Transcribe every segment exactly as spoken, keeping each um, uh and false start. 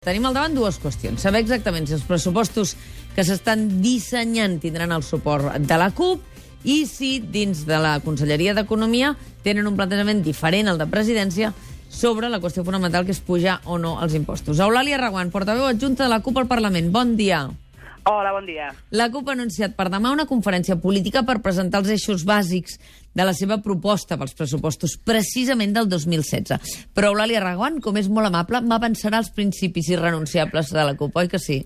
Tenim al davant dues qüestions. Saber exactament si els pressupostos que s'estan dissenyant tindran el suport de la CUP i si dins de la Conselleria d'Economia tenen un plantejament diferent al de Presidència sobre la qüestió fonamental que és pujar o no els impostos. Eulàlia Reguant, portaveu adjunta de la CUP al Parlament. Bon dia. Hola, bon dia. La CUP ha anunciat per demà una conferència política per presentar els eixos bàsics de la seva proposta pels pressupostos, precisament del dos mil setze. Però Eulàlia Reguant, com és molt amable, m'avançarà els principis irrenunciables de la CUP, oi que sí?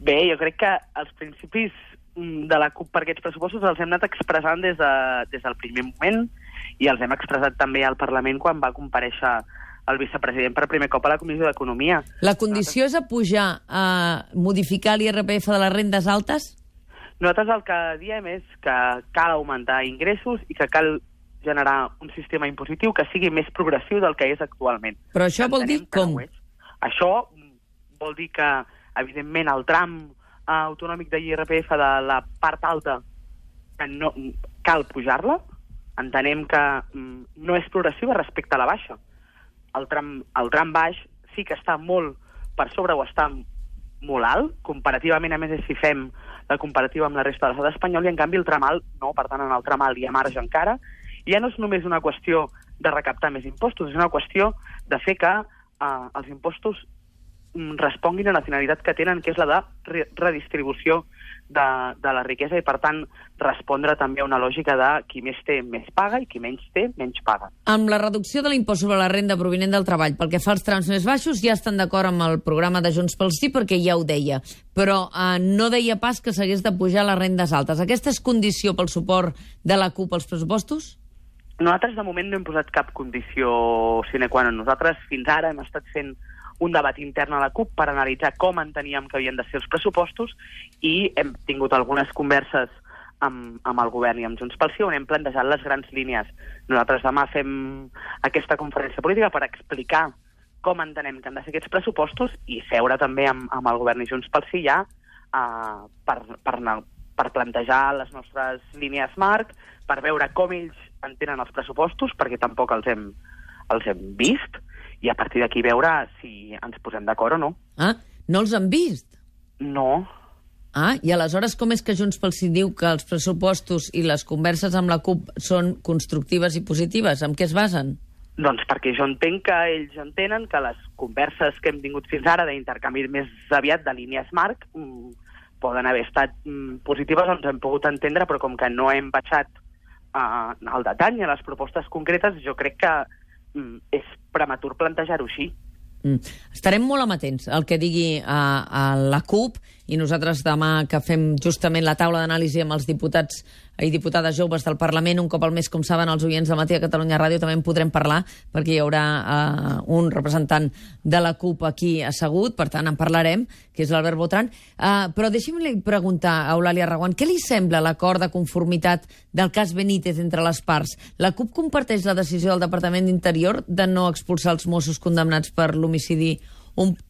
Bé, jo crec que els principis de la CUP per aquests pressupostos els hem anat expressant des, de, des del primer moment i els hem expressat també al Parlament quan va comparèixer el vicepresident per primer cop a la Comissió d'Economia. La condició és a pujar, a modificar l'I R P F de les rendes altes? Nosaltres el que diem és que cal augmentar ingressos i que cal generar un sistema impositiu que sigui més progressiu del que és actualment. Però això vol dir com? No això vol dir que, evidentment, el tram autonòmic de l'I R P F de la part alta que no, cal pujar-la. Entenem que no és progressiva respecte a la baixa. El tram, el tram baix sí que està molt per sobre o està molt alt, comparativament, a més, si fem la comparativa amb la resta de l'estat espanyol, i en canvi el tram alt no, per tant, en el tram alt hi ha marge encara. I ja no és només una qüestió de recaptar més impostos, és una qüestió de fer que eh, els impostos responguin a la finalitat que tenen, que és la de re redistribució de, de la riquesa i, per tant, respondre també a una lògica de qui més té més paga i qui menys té menys paga. Amb la reducció de l'impost sobre la renda provinent del treball, pel que fa als trams més baixos, ja estan d'acord amb el programa de Junts pel Sí, perquè ja ho deia, però eh, no deia pas que s'hagués de pujar les rendes altes. Aquesta és condició pel suport de la CUP als pressupostos? Nosaltres, de moment, no hem posat cap condició sine qua non. Nosaltres, fins ara, hem estat fent un debat intern a la CUP per analitzar com enteníem que havien de ser els pressupostos i hem tingut algunes converses amb, amb el govern i amb Junts pel Sí on hem plantejat les grans línies. Nosaltres demà fem aquesta conferència política per explicar com entenem que han de ser aquests pressupostos i seure també amb, amb el govern i Junts pel Sí ja uh, per, per, per plantejar les nostres línies marc, per veure com ells entenen els pressupostos, perquè tampoc els hem, els hem vist, i a partir d'aquí veure si ens posem d'acord o no. Ah, no els han vist? No. Ah, i aleshores com és que Junts pel Sí diu que els pressupostos i les converses amb la CUP són constructives i positives? En què es basen? Doncs perquè jo entenc que ells entenen que les converses que hem tingut fins ara d'intercanvi més aviat de línies marc mmm, poden haver estat mmm, positives, ens hem pogut entendre, però com que no hem baixat uh, al detall i a les propostes concretes, jo crec que mm, és prematur plantejar-ho així. Mm. Estarem molt amatents al que digui a, a la CUP i nosaltres demà que fem justament la taula d'anàlisi amb els diputats i diputades joves del Parlament, un cop al mes, com saben els oients de Matí a Catalunya Ràdio, també en podrem parlar perquè hi haurà uh, un representant de la CUP aquí assegut, per tant en parlarem, que és l'Albert Botran. Uh, però deixi'm-li preguntar a Eulàlia Reguant, què li sembla l'acord de conformitat del cas Benítez entre les parts? La CUP comparteix la decisió del Departament d'Interior de no expulsar els Mossos condemnats per l'homicidi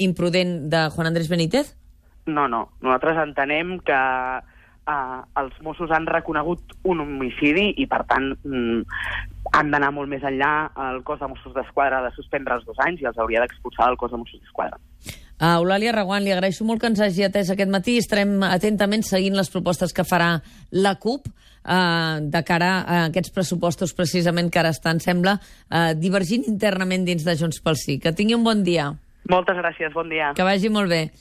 imprudent de Juan Andrés Benítez? No, no. Nosaltres entenem que uh, els Mossos han reconegut un homicidi i, per tant, mm, han d'anar molt més enllà. El cos de Mossos d'Esquadra ha de suspendre els dos anys i els hauria d'expulsar del cos de Mossos d'Esquadra. Uh, Eulàlia Reguant, li agraeixo molt que ens hagi atès aquest matí. Estarem atentament seguint les propostes que farà la CUP uh, de cara a aquests pressupostos precisament que ara estan, sembla, uh, divergint internament dins de Junts pel Sí. Que tingui un bon dia. Moltes gràcies, bon dia. Que vagi molt bé.